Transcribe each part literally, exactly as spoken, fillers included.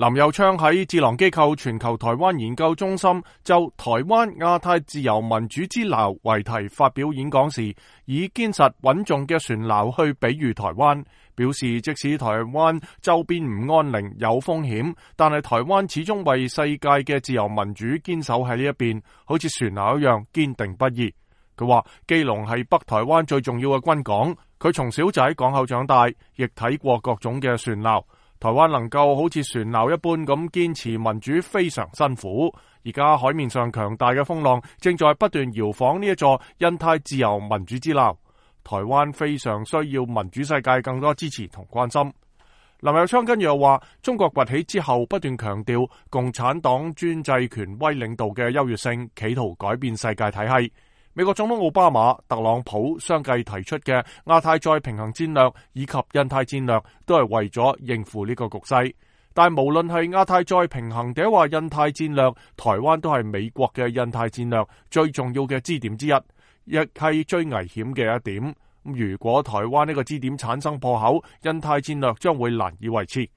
林右昌喺智囊機構全球台灣研究中心就台灣亞太自由民主之錨為題發表演講時，以堅實穩重嘅船錨去比喻台灣，表示即使台灣周邊唔安寧有風險，但係台灣始終為世界嘅自由民主堅守喺呢一邊，好似船錨一樣堅定不移。佢話基隆係北台灣最重要嘅軍港，佢從小就喺港口長大，亦睇過各種嘅船錨。台灣能夠好似船錨一般咁堅持民主非常辛苦，而家海面上強大嘅風浪正在不斷搖晃呢一座印太自由民主之錨。台灣非常需要民主世界更多支持同關心。林右昌跟住又話，中國崛起之後不斷強調共產黨專制權威領導嘅優越性，企圖改變世界體系。美國總統奧巴馬、特朗普相繼提出嘅亞太再平衡戰略以及印太戰略，都係為咗應付呢個局勢。但無論係亞太再平衡定話印太戰略，台灣都係美國嘅印太戰略最重要嘅支點之一，亦係最危險嘅一點。如果台灣呢個支點產生破口，印太戰略將會難以維持。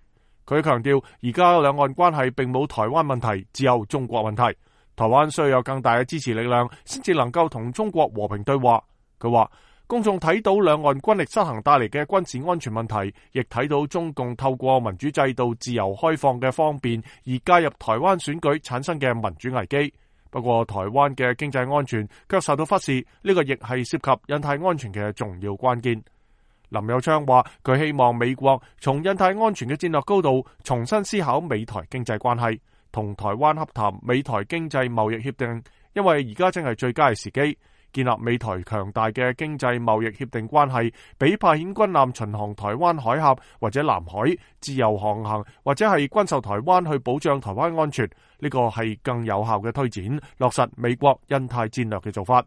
佢強調，而家兩岸關係並冇台灣問題，只有中國問題。台灣需要有更大嘅支持力量，先至能夠同中國和平對話。佢話，公眾睇到兩岸軍力失衡帶嚟嘅軍事安全問題，亦睇到中共透過民主制度自由開放嘅方便而介入台灣選舉產生嘅民主危機。不過台灣嘅經濟安全卻受到忽視，呢個亦係涉及印太安全嘅重要關鍵。林右昌話，佢希望美國從印太安全嘅戰略高度重新思考美台經濟關係，同台灣洽談美台經濟貿易協定，因為而家正係最佳嘅時機。建立美台強大嘅經濟貿易協定關係，比派遣軍艦巡航台灣海峽或者南海自由航行，或者係軍售台灣去保障台灣安全，呢個係更有效嘅推展落實美國印太戰略嘅做法。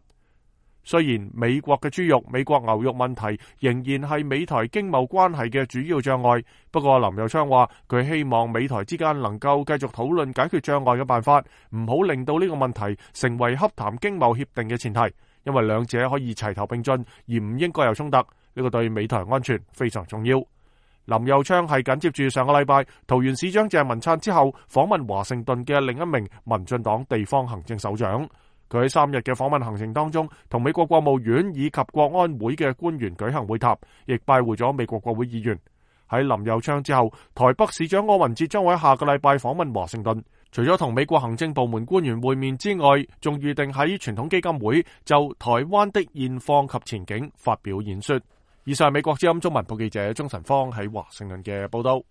雖然美國嘅豬肉、美國牛肉問題仍然係美台經貿關係嘅主要障礙，不過林右昌話佢希望美台之間能夠繼續討論解決障礙嘅辦法，唔好令到呢個問題成為洽談經貿協定嘅前提，因為兩者可以齊頭並進，而唔應該有衝突。呢個對美台安全非常重要。林右昌係緊接住上個禮拜桃園市長鄭文燦之後訪問華盛頓嘅另一名民進黨地方行政首長。佢喺三日嘅訪問行程當中，同美國國務院以及國安會嘅官員舉行會談，亦拜會咗美國國會議員。喺林右昌之後，台北市長柯文哲將會喺下個禮拜訪問華盛頓，除咗同美國行政部門官員會面之外，仲預定喺傳統基金會就台灣的現況及前景發表演說。以上係美國之音中文部記者鍾晨芳喺華盛頓嘅報道。